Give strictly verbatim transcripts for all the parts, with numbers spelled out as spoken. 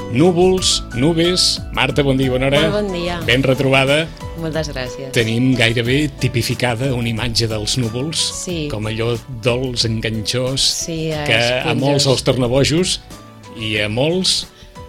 Núvols, nubes... Marta, bon dia, bona hora. Molt bon dia. Ben retrobada. Moltes gràcies. Tenim gairebé tipificada una imatge dels núvols, sí. com allò dolç, enganxós, sí, que a molts els torna bojos i a molts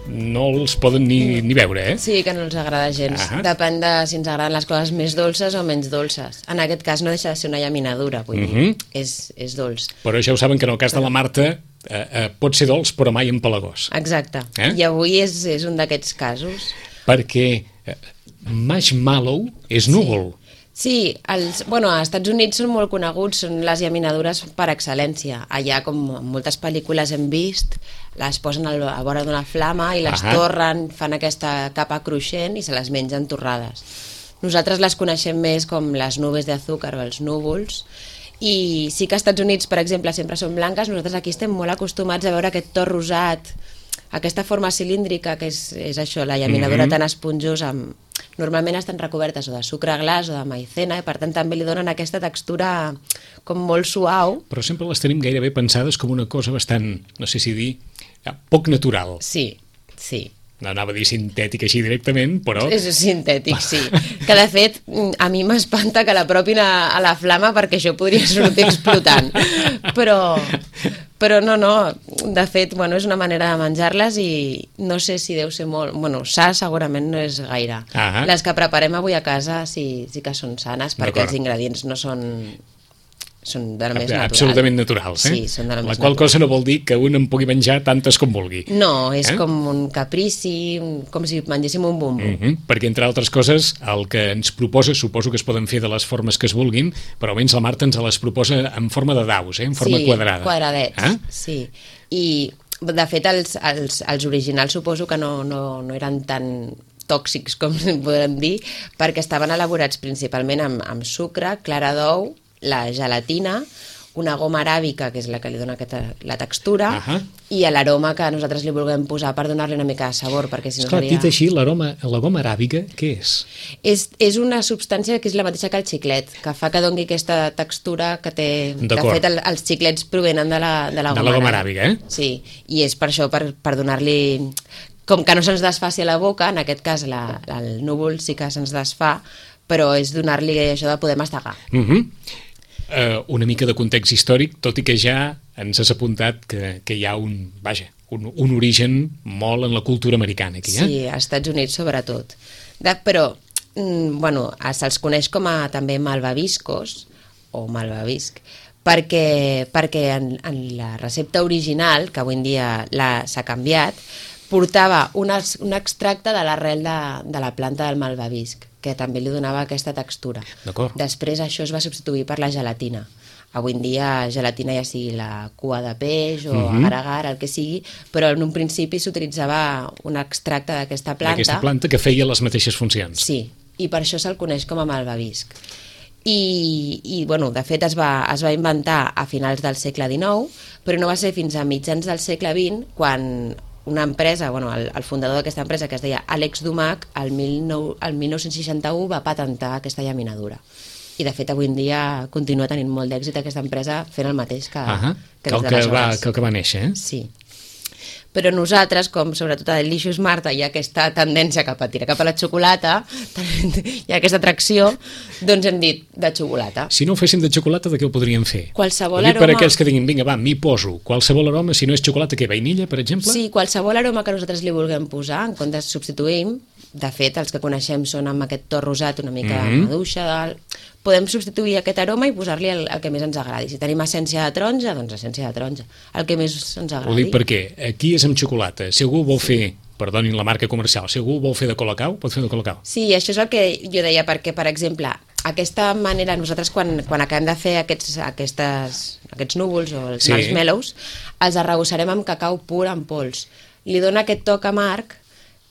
no els poden ni, ni veure, eh? Sí, que no els agrada gens. Uh -huh. Depèn de si ens agraden les coses més dolces o menys dolces. En aquest cas no deixa de ser una llaminadura, vull uh -huh. dir, és, és dolç. Però ja ho saben que en el cas de la Marta eh, eh, pot ser dolç però mai empalagós. Exacte, eh? I avui és, és un d'aquests casos. Perquè eh, marshmallow és núvol. Sí. Sí, els, bueno, als Estats Units són molt coneguts, són les llaminadures per excel·lència. Allà, com en moltes pel·lícules hem vist, les posen a vora d'una flama i les uh -huh. torren, fan aquesta capa cruixent i se les mengen torrades. Nosaltres les coneixem més com les nubes d'azúcar o els núvols, i sí que als Estats Units, per exemple, sempre són blanques. Nosaltres aquí estem molt acostumats a veure aquest to rosat, aquesta forma cilíndrica, que és, és això, la llaminadura mm-hmm. tan esponjosa, amb... normalment estan recobertes o de sucre glaç o de maïzena, i per tant també li donen aquesta textura com molt suau. Però sempre les tenim gairebé pensades com una cosa bastant, no sé si dir, poc natural. Sí, sí. No anava a dir sintètic així directament, però... És sintètic, sí. Que de fet, a mi m'espanta que la propin a, a la flama, perquè això podria sortir explotant. Però, però no, no, de fet, bueno, és una manera de menjar-les i no sé si deu ser molt... Bueno, sa segurament no és gaire. Ah, les que preparem avui a casa sí, sí que són sanes, perquè els ingredients no són... són de la més natural. Absolutament naturals, eh? Sí, són de la, la més qual natural. cosa no vol dir que un en pugui menjar tantes com vulgui. No, és eh? com un caprici, com si mengéssim un bombo. Mm -hmm. Perquè, entre altres coses, el que ens proposa, suposo que es poden fer de les formes que es vulguin, però almenys la Marta ens les proposa en forma de daus, eh? En forma sí, quadrada. Sí, quadradets, eh? sí. I, de fet, els, els, els originals suposo que no, no, no eren tan tòxics, com podem dir, perquè estaven elaborats principalment amb, amb sucre, clara d'ou, la gelatina, una goma aràbica, que és la que li dona aquesta, la textura, uh -huh. i l'aroma que nosaltres li vulguem posar per donar-li una mica de sabor, perquè si no Esclar, seria... dit així, l'aroma, la goma aràbica, què és? és? És una substància que és la mateixa que el xiclet, que fa que doni aquesta textura que té... De fet, el, els xiclets provenen de la, de la, de goma, la goma aràbica, eh? Sí, i és per això, per, per donar-li... Com que no se'ns desfaci a la boca, en aquest cas la, el núvol sí que se'ns desfà, però és donar-li això de poder mastegar. Mhm. Uh -huh. Uh, una mica de context històric, tot i que ja ens has apuntat que, que hi ha un, vaja, un, un origen molt en la cultura americana aquí, eh? Sí, als Estats Units sobretot. De, però, mm, bueno, se'ls coneix com a també malvaviscos o malvavisc, perquè, perquè en, en la recepta original, que avui en dia s'ha canviat, portava un, un extracte de l'arrel de, de la planta del malvavisc, que també li donava aquesta textura. Després això es va substituir per la gelatina. Avui en dia gelatina ja sigui la cua de peix o uh-huh. agar-agar, el que sigui, però en un principi s'utilitzava un extracte d'aquesta planta. D'aquesta planta que feia les mateixes funcions. Sí, i per això se'l coneix com a malvavisc. I, i bueno, de fet es va, es va inventar a finals del segle dinou, però no va ser fins a mitjans del segle vint quan una empresa, bueno, el, el fundador d'aquesta empresa, que es deia Alex Dumac, el, dinou, el dinou seixanta-u va patentar aquesta llaminadura. I de fet avui en dia continua tenint molt d'èxit aquesta empresa fent el mateix que, uh-huh. que, que, el que, va, que el que va néixer, eh? Sí. Però nosaltres, com sobretot a Delicious Marta, hi ha aquesta tendència cap a tirar cap a la xocolata, hi ha aquesta atracció, doncs hem dit de xocolata. Si no ho féssim de xocolata, de què ho podríem fer? Qualsevol aroma... Per aroma... aquells que diguin, vinga, va, m'hi poso. Qualsevol aroma, si no és xocolata, què, vainilla, per exemple? Sí, qualsevol aroma que nosaltres li vulguem posar, en comptes substituïm, de fet, els que coneixem són amb aquest to rosat, una mica mm-hmm. maduixa, del... podem substituir aquest aroma i posar-li el, el que més ens agradi. Si tenim essència de taronja, doncs essència de taronja, el que més ens agradi. Ho dic perquè aquí és amb xocolata. Si algú vol fer, perdonin la marca comercial, si algú vol fer de Colacao, pot fer de Colacao. Sí, això és el que jo deia, perquè, per exemple, aquesta manera, nosaltres quan, quan acabem de fer aquests, aquestes, aquests núvols o els sí. marshmallows, els arrebossarem amb cacau pur en pols. Li dona aquest toc amarg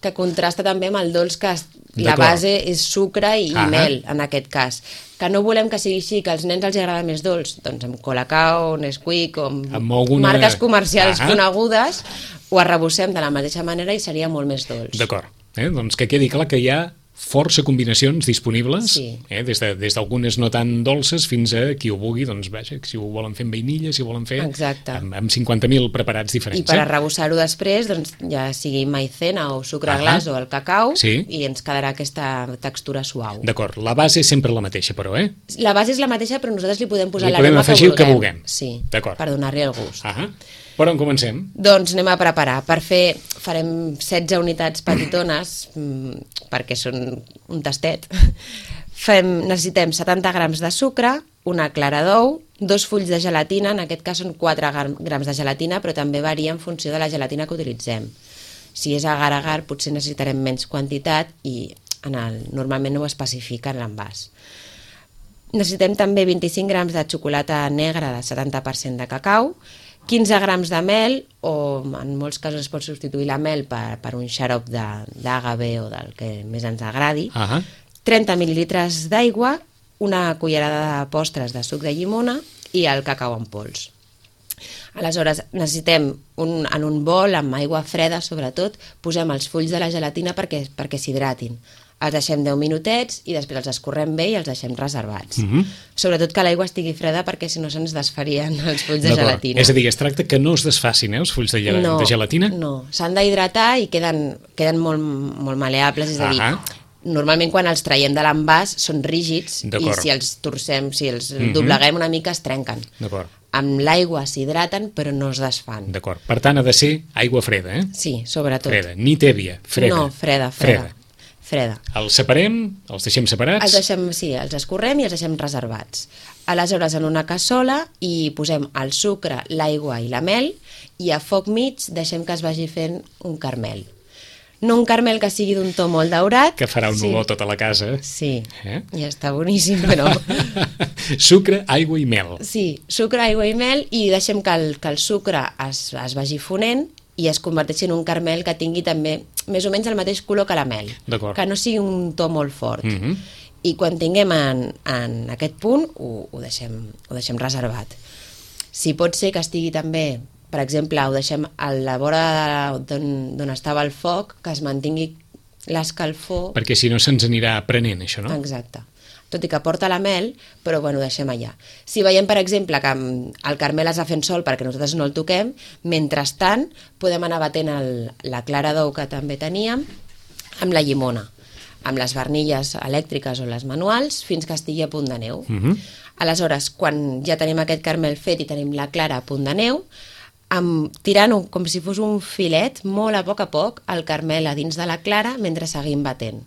que contrasta també amb el dolç, que la base és sucre i ah mel, en aquest cas. Que no volem que sigui així, que als nens els agrada més dolç, doncs amb Colacao, Nesquik, o amb, amb alguna... marques comercials ah conegudes, ho arrebossem de la mateixa manera i seria molt més dolç. D'acord, eh? Doncs que quedi clar que hi ha força combinacions disponibles, Sí. eh? des de- des d'algunes no tan dolces fins a qui ho vulgui, doncs vaja, si ho volen fer amb vainilla, si ho volen fer Exacte. amb, amb cinquanta mil preparats diferents. I per eh? arrebossar-ho després, doncs, ja sigui maicena o sucre Ahà. glaç o el cacau, Sí. i ens quedarà aquesta textura suau. D'acord, la base és sempre la mateixa, però, eh? La base és la mateixa, però nosaltres li podem posar Li podem l'aroma afegir el que que vulguem. vulguem. Sí, D'acord. per donar-li el gust. Ah, per on comencem? Doncs anem a preparar. Per fer, farem setze unitats petitones, mm, perquè són un tastet. Fem, necessitem setanta grams de sucre, una clara d'ou, dos fulls de gelatina, en aquest cas són quatre grams de gelatina, però també varia en funció de la gelatina que utilitzem. Si és agar-agar, potser necessitarem menys quantitat i en el, normalment ho especifica en l'envàs. Necessitem també vint-i-cinc grams de xocolata negra de setanta per cent de cacau, quinze grams de mel, o en molts casos es pot substituir la mel per, per un xarop d'agave o del que més ens agradi, Ah, trenta mil·lilitres d'aigua, una cullerada de postres de suc de llimona i el cacau en pols. Aleshores, necessitem un, en un bol amb aigua freda, sobretot, posem els fulls de la gelatina perquè, perquè s'hidratin. Els deixem deu minutets i després els escorrem bé i els deixem reservats. Mhm. Sobretot que l'aigua estigui freda perquè si no se'ns desfarien els fulls de d'acord. gelatina. És a dir, es tracta que no es desfacin, eh, els fulls de, gel no, de gelatina? No, s'han d'hidratar i queden, queden molt, molt maleables, és a dir, Ahà. normalment quan els traiem de l'envàs són rígids i D'acord. si els torcem, si els Mhm. dobleguem una mica es trenquen. D'acord, Amb l'aigua s'hidraten però no es desfan. d'acord. Per tant, ha de ser aigua freda, eh? Sí, sobretot. Freda, ni tèbia, freda. No, freda, freda. Freda. Els separem, els deixem separats. Els deixem, sí, els escorrem i els deixem reservats. Aleshores, en una cassola hi posem el sucre, l'aigua i la mel i a foc mig deixem que es vagi fent un carmel. No un carmel que sigui d'un to molt daurat. Que farà un sí. olor tota la casa. Sí, Eh? ja està boníssim, però... Sucre, aigua i mel. Sí, sucre, aigua i mel i deixem que el, que el sucre es, es vagi fonent i es converteixi en un carmel que tingui també més o menys el mateix color que la mel. D'acord. Que no sigui un to molt fort. Mhm. I quan tinguem en, en aquest punt ho, ho, deixem, ho deixem reservat. Si pot ser que estigui també, per exemple, ho deixem a la vora d'on d'on estava el foc, que es mantingui l'escalfor. Perquè si no se'ns anirà aprenent, això, no? Exacte. Tot i que porta la mel, però bueno, ho deixem allà. Si veiem, per exemple, que el carmel es va fent sol perquè nosaltres no el toquem, mentrestant podem anar batent el, la clara d'ou que també teníem amb la llimona, amb les barnilles elèctriques o les manuals, fins que estigui a punt de neu. Mhm. Aleshores, quan ja tenim aquest carmel fet i tenim la clara a punt de neu, amb, tirant com si fos un filet, molt a poc a poc, el carmel a dins de la clara mentre seguim batent.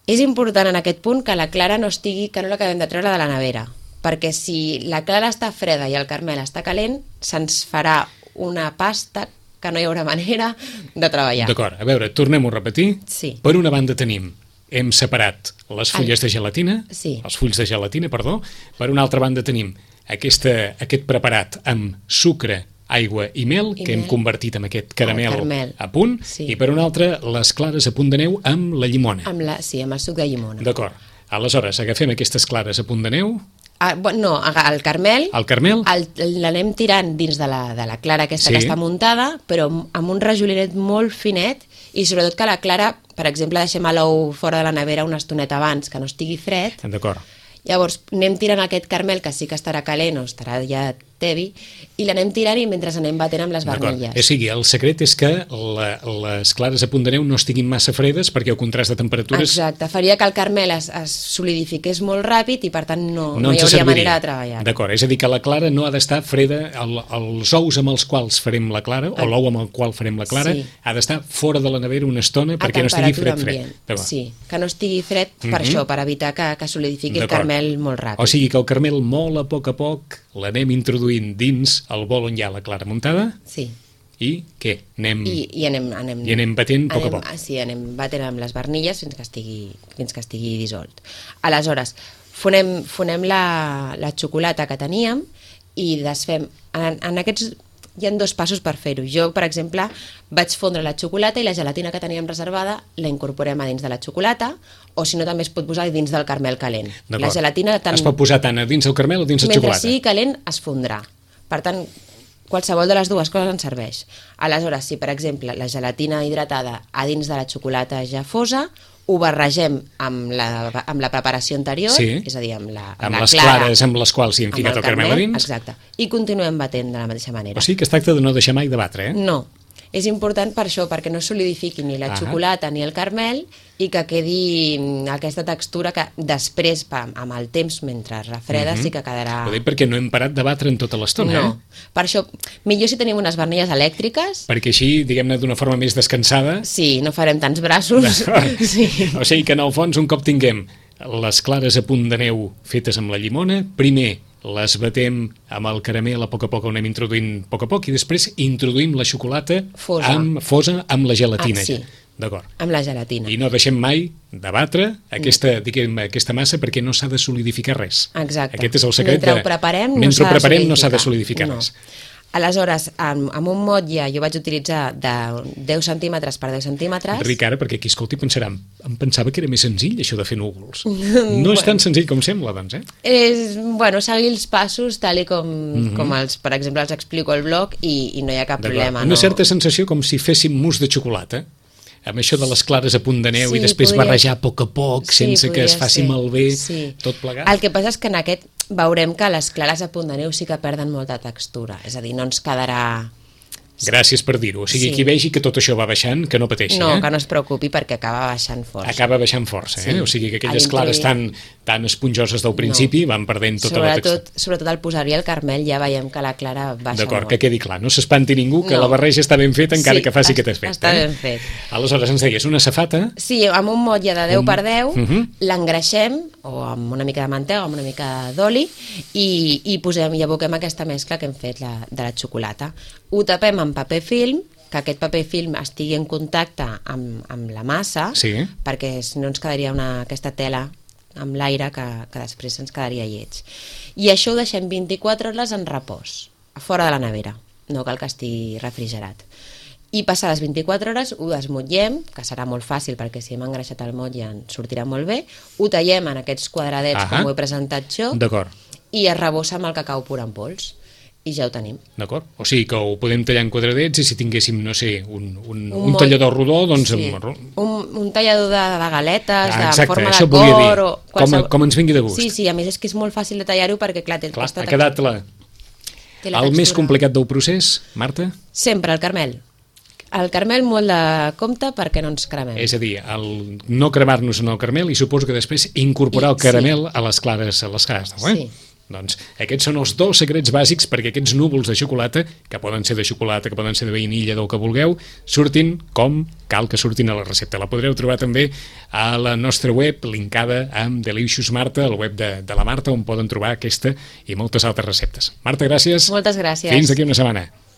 És important en aquest punt que la clara no estigui, que no l'acabem de treure de la nevera, perquè si la clara està freda i el carmel està calent, se'ns farà una pasta que no hi haurà manera de treballar. D'acord, a veure, tornem-ho a repetir. Sí. Per una banda tenim, hem separat les fulles de gelatina, Sí. els fulls de gelatina, perdó. Per una altra banda tenim aquesta, aquest preparat amb sucre, aigua i mel, I que hem mel. convertit en aquest caramel, carmel. a punt, Sí. i per una altra les clares a punt de neu amb la llimona. Amb la, sí, amb el suc de llimona. D'acord. Aleshores, agafem aquestes clares a punt de neu, Ah, bueno, no, aga- el carmel el carmel, el- l'anem tirant dins de la, de la clara aquesta Sí. que està muntada, però amb un rajolinet molt finet i sobretot que la clara, per exemple, deixem l'ou fora de la nevera una estoneta abans, que no estigui fred. d'acord. Llavors anem tirant aquest carmel que sí que estarà calent o estarà ja tevi i l'anem tirant i mentre anem batent amb les D'acord. barnilles. O sigui, el secret és que la, les clares a punt de neu no estiguin massa fredes perquè el contrast de temperatures Exacte, faria que el carmel es, es solidifiqués molt ràpid i per tant no, no, no hi ens hauria serviria. manera de treballar. D'acord, és a dir, que la clara no ha d'estar freda, el, els ous amb els quals farem la clara, o l'ou amb el qual farem la clara, Sí. ha d'estar fora de la nevera una estona perquè no estigui fred, fred. D'acord. Sí, que no estigui fred per Mhm. això, per evitar que, que solidifiqui el D'acord. carmel molt ràpid. O sigui que el carmel molt a poc a poc l'anem introduint dins el bol on hi ha la clara muntada Sí, i què? Anem... i, i anem, anem, I anem batent a poc a anem, poc. ah, Sí, anem batent amb les barnilles fins que estigui, fins que estigui dissolt. Aleshores, fonem, fonem la, la xocolata que teníem i desfem... En, en aquests hi ha dos passos per fer-ho. Jo, per exemple, vaig fondre la xocolata i la gelatina que teníem reservada la incorporem a dins de la xocolata o si no també es pot posar dins del carmel calent. La D'acord. gelatina tant, Es pot posar tant a dins el carmel o dins la mentre xocolata. sigui calent es fondrà. Per tant, qualsevol de les dues coses ens serveix. Aleshores, si per exemple la gelatina hidratada a dins de la xocolata ja fosa, ho barregem amb la, amb la preparació anterior, sí. és a dir, amb, la, amb amb la les clara, clares amb les quals hi hem ficat el, el caramel a dins. Exacte, i continuem batent de la mateixa manera. O sigui que es tracta de no deixar mai de batre, eh? No, és important per això, perquè no solidifiqui ni la ah. xocolata ni el caramel i que quedi aquesta textura que després, amb el temps, mentre refreda, mm-hmm. sí que quedarà... Ho dic perquè no hem parat de batre en tota l'estona, no. eh? Per això, millor si tenim unes barnilles elèctriques... Perquè així, diguem-ne, d'una forma més descansada... Sí, no farem tants braços. sí. O sigui que, en el fons, un cop tinguem les clares a punt de neu fetes amb la llimona, primer les batem amb el caramel, a poc a poc ho anem introduint a poc a poc, i després introduïm la xocolata fosa amb, fosa amb la gelatina. Ah, sí. D'acord. Amb la gelatina. I no deixem mai de batre aquesta, diguem, aquesta massa perquè no s'ha de solidificar res. Exacte. Aquest és el secret. Mentre de... ho preparem, no Mentre ho preparem no s'ha de solidificar. solidificar no. res. Aleshores, amb, amb un motlle jo vaig utilitzar de deu centímetres per deu centímetres. Ric, ara, perquè aquí, escolti, pensarà, em pensava que era més senzill, això de fer núvols. No és tan senzill com sembla, doncs, eh? És, bueno, seguir els passos tal i com, mm-hmm. com els, per exemple, els explico al blog i, i no hi ha cap problema. Una no? certa sensació com si féssim mousse de xocolata, amb això de les clares a punt de neu sí, i després podria... barrejar a poc a poc, sí, sense que es faci ser. malbé, sí. tot plegat. El que passa és que en aquest veurem que les clares a punt de neu sí que perden molta textura, és a dir, no ens quedarà... Gràcies per dir-ho. O sigui, sí. qui vegi que tot això va baixant, que no pateixi. No, eh? que no es preocupi perquè acaba baixant força. Acaba baixant força, eh? Sí. O sigui que aquelles clares tan, tan esponjoses del principi no. van perdent tota sobretot, la textura. Sobretot al posar-hi el caramel ja veiem que la clara baixa D'acord, molt. que quedi clar. No s'espanti ningú que no. la barreja està ben feta encara sí, que faci aquest aspecte. Està eh? ben fet. Aleshores ens deies una safata... Sí, amb un motlle de deu un... per deu uh-huh. l'engreixem o amb una mica de mantega o amb una mica d'oli i, i posem i aboquem aquesta mescla que hem fet la, de la xocolata. Ho tapem amb paper film, que aquest paper film estigui en contacte amb, amb la massa, sí. perquè si no ens quedaria una, aquesta tela amb l'aire que, que després ens quedaria lleig. I això ho deixem vint-i-quatre hores en repòs, fora de la nevera, no cal que estigui refrigerat. I passades vint-i-quatre hores ho desmotllem, que serà molt fàcil perquè si hem engreixat el motlle ens sortirà molt bé, ho tallem en aquests quadradets Ahà. com ho he presentat jo i es rebossa amb el cacau pur en pols. I ja ho tenim. D'acord. O sigui que ho podem tallar en quadradets i si tinguéssim, no sé, un, un, un, un tallador rodó, doncs... Sí. Amb... Un, un tallador de, de galetes, ah, de forma de cor... O qualsevol... com, com ens vingui de gust. Sí, sí, a més és que és molt fàcil de tallar-ho perquè, clar, té clar, aquesta ha quedat la... la el més complicat del procés, Marta? Sempre el caramel. El caramel molt de compte perquè no ens cremem. És a dir, el no cremar-nos en el caramel i suposo que després incorporar I, el caramel sí. a les clares, a les clares, no, eh? Sí. Doncs aquests són els dos secrets bàsics perquè aquests núvols de xocolata, que poden ser de xocolata, que poden ser de vainilla, del que vulgueu, surtin com cal que surtin a la recepta. La podreu trobar també a la nostra web, linkada amb Delicious Marta, el web de, de la Marta, on poden trobar aquesta i moltes altres receptes. Marta, gràcies. Moltes gràcies. Fins d'aquí una setmana.